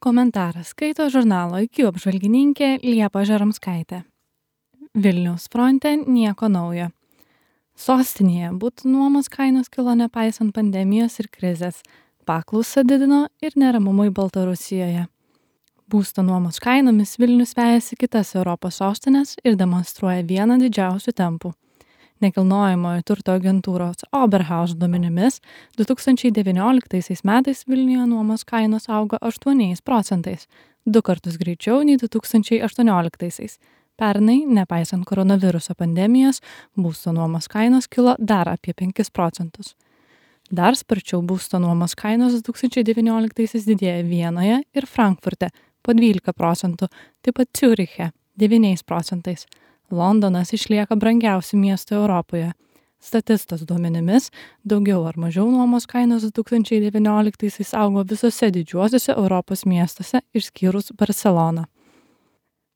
Komentarą skaito žurnalo IQ apžvalgininkė Liepa Žaramskaitė. Vilniaus fronte nieko naujo. Sostinėje būtų nuomos kainos kilo nepaisant pandemijos ir krizės, paklausą didino ir neramumai Baltarusijoje. Būsto nuomos kainomis Vilnius vejasi kitas Europos sostinės ir demonstruoja vieną didžiausių tempų. Nekilnojamojo turto agentūros Oberhaus duomenimis 2019 metais Vilniuje nuomos kainos augo 8%, 2 kartus greičiau nei 2018. Pernai, nepaisant koronaviruso pandemijos, būsto nuomos kainos kilo dar apie 5%. Dar sparčiau būsto nuomos kainos 2019 didėja Vienoje ir Frankfurte po 12%, taip pat Ciuriche 9%. Londonas išlieka brangiausių miestų Europoje. Statistos duomenimis, daugiau ar mažiau nuomos kainos 2019 augo visose didžiuosiuose Europos miestuose išskyrus Barceloną.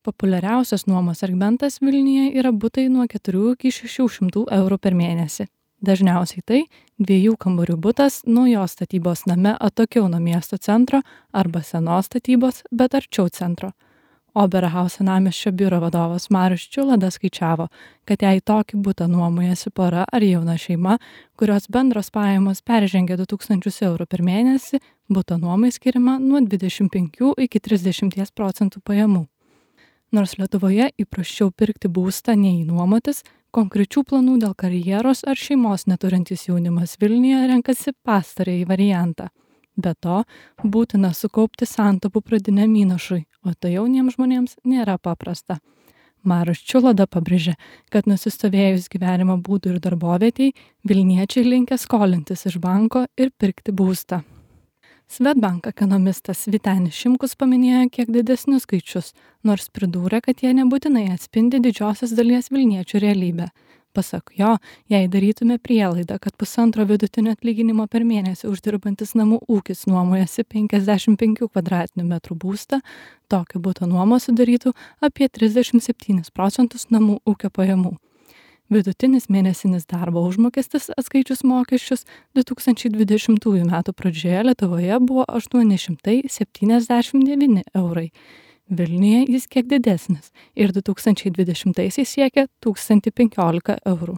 Populiariausias nuomos segmentas Vilniuje yra butai nuo 4 iki 600 eurų per mėnesį. Dažniausiai tai 2 kambarių butas naujos statybos name atokiau nuo miesto centro arba senos statybos, bet arčiau centro. Oberhaus senamiesčio biuro vadovas Marius Čiulada skaičiavo, kad jei tokį butą nuomojasi pora ar jauna šeima, kurios bendros pajamos peržengia 2000 eurų per mėnesį, buto nuomai skiriama nuo 25 iki 30% pajamų. Nors Lietuvoje įprasčiau pirkti būstą nei nuomotis, konkrečių planų dėl karjeros ar šeimos neturintis jaunimas Vilniuje renkasi pastarąjį variantą. Be to, būtina sukaupti santaupų pradiniam įnašui, o tai jauniems žmonėms nėra paprasta. Marius Čiulada pabrėžė, kad nusistovėjus gyvenimo būdų ir darbovietei, Vilniečiai linkę skolintis iš banko ir pirkti būstą. Swedbank ekonomistas Vytenis Šimkus paminėjo kiek didesnius skaičius, nors pridūrė, kad jie nebūtinai atspindi didžiosios dalies vilniečių realybę. Pasak jo, jei darytume prielaidą, kad 1,5 vidutinio atlyginimo per mėnesį uždirbantis namų ūkis nuomojasi 55 kvadratinių metrų būstą, tokio buto nuoma sudarytų apie 37% namų ūkio pajamų. Vidutinis mėnesinis darbo užmokestis atskaičius mokesčius 2020 metų pradžioje Lietuvoje buvo 879 eurai. Vilniuje jis kiek didesnis ir 2020-aisiais siekia 1015 eurų.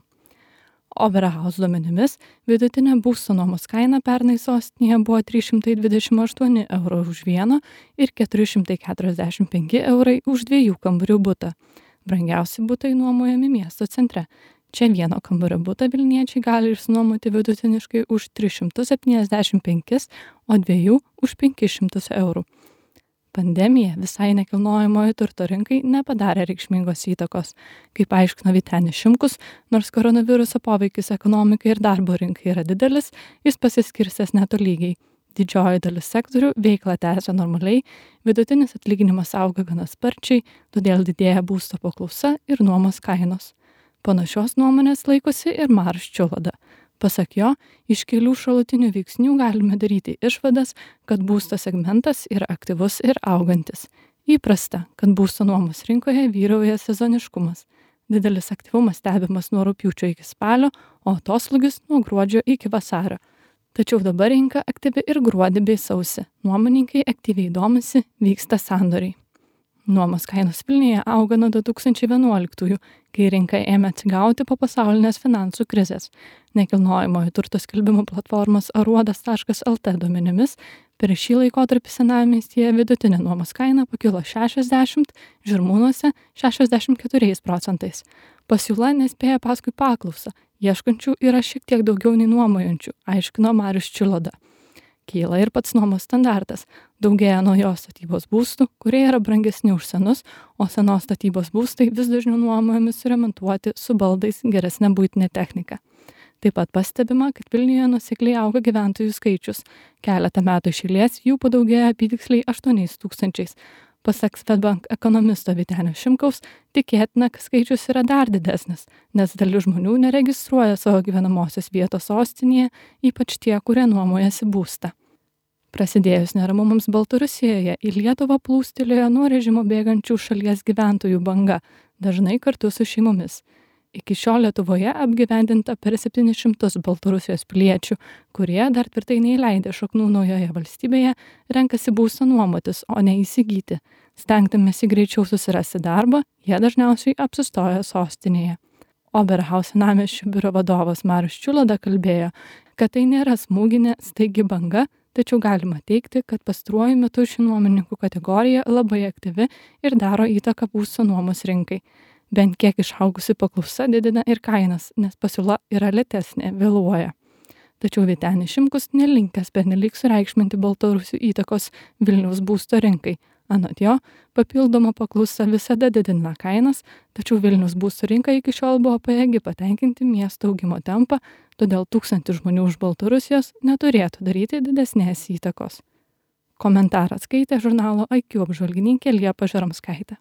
Oberhaus duomenimis vidutinė būsto nuomos kaina pernai sostinėje buvo 328 eurų už vieną ir 445 eurai už 2 kambarių butą. Brangiausi butai nuomojami miesto centre. Čia vieno kambario butą vilniečiai gali išsinuomoti vidutiniškai už 375, o 2 už 500 eurų. Pandemija visai nekilnojamojo turto rinkai nepadarė reikšmingos įtakos. Kaip aiškino Vytenis Šimkus, nors koronaviruso poveikis ekonomikai ir darbo rinkai yra didelis, jis pasiskirstęs netolygiai. Didžioji dalis sektorių veiklą tęsia normaliai, vidutinis atlyginimas auga gana sparčiai, todėl didėja būsto paklausa ir nuomos kainos. Panašios nuomonės laikosi ir Marius Čiulada. Pasak jo, iš kelių šalutinių veiksnių galime daryti išvadas, kad būsto segmentas yra aktyvus ir augantis. Įprasta, kad būsto nuomos rinkoje vyrauja sezoniškumas. Didelis aktyvumas stebimas nuo rugpjūčio iki spalio, o atoslūgis nuo gruodžio iki vasario. Tačiau dabar rinka aktyvi ir gruodį bei sausį. Nuomininkai aktyviai domisi, vyksta sandoriai. Nuomos kainos Vilniuje auga nuo 2011, kai rinka ėmė atsigauti po pasaulinės finansų krizės. Nekilnojamojo turto skelbimų platformos aruodas.lt duomenimis per šį laikotarpį senamiestyje vidutinė nuomos kaina pakilo 60, Žirmūnuose 64%. Pasiūla nespėja paskui paklausą, ieškančių yra šiek tiek daugiau nei nuomojančių, aiškino Marius Čiulada. Kyla ir pats nuomos standartas. Daugėja naujos statybos būstų, kurie yra brangesni už senus, o senos statybos būstai vis dažniau nuomojami suremontuoti su baldais geresnė buitinė technika. Taip pat pastebima, kad Vilniuje nuosekliai auga gyventojų skaičius. Keletą metų iš eilės jų padaugėja apytiksliai 8,000. Pasak Swedbank ekonomisto Vytenio Šimkaus, tikėtina, kad skaičius yra dar didesnis, nes dalis žmonių neregistruoja savo gyvenamosios vietos sostinėje, ypač tie, kurie nuomojasi būstą. Prasidėjus neramumams Baltarusijoje į Lietuvą plūstelėjo nuo režimo bėgančių šalies gyventojų banga, dažnai kartu su šeimomis. Iki šiol Lietuvoje apgyvendinta per 700 Baltarusijos piliečių, kurie dar tvirtai neįleidę šaknų naujoje valstybėje renkasi būstą nuomotis, o ne įsigyti. Stengdamiesi greičiau susirasti darbą, jie dažniausiai apsistoja sostinėje. Oberhaus senamiesčio biuro vadovas Marius Čiulada kalbėjo, kad tai nėra smūginė staigi banga, tačiau galima teigti, kad pastaruoju metu ši nuomininkų kategorija labai aktyvi ir daro įtaką būsto nuomos rinkai. Bent kiek išaugusi paklausa didina ir kainas, nes pasiūla yra lėtesnė, vėluoja. Tačiau Vytenis Šimkus nelinkęs pernelyg sureikšminti baltarusių įtakos Vilniaus būsto rinkai. Anot jo, papildoma paklausa visada didina kainas, tačiau Vilniaus būsto rinka iki šiol buvo pajėgi patenkinti miesto augimo tempą, todėl 1000 žmonių iš Baltarusijos neturėtų daryti didesnės įtakos. Komentarą skaitė žurnalo IQ apžvalgininkė Liepa Žaromskaitė.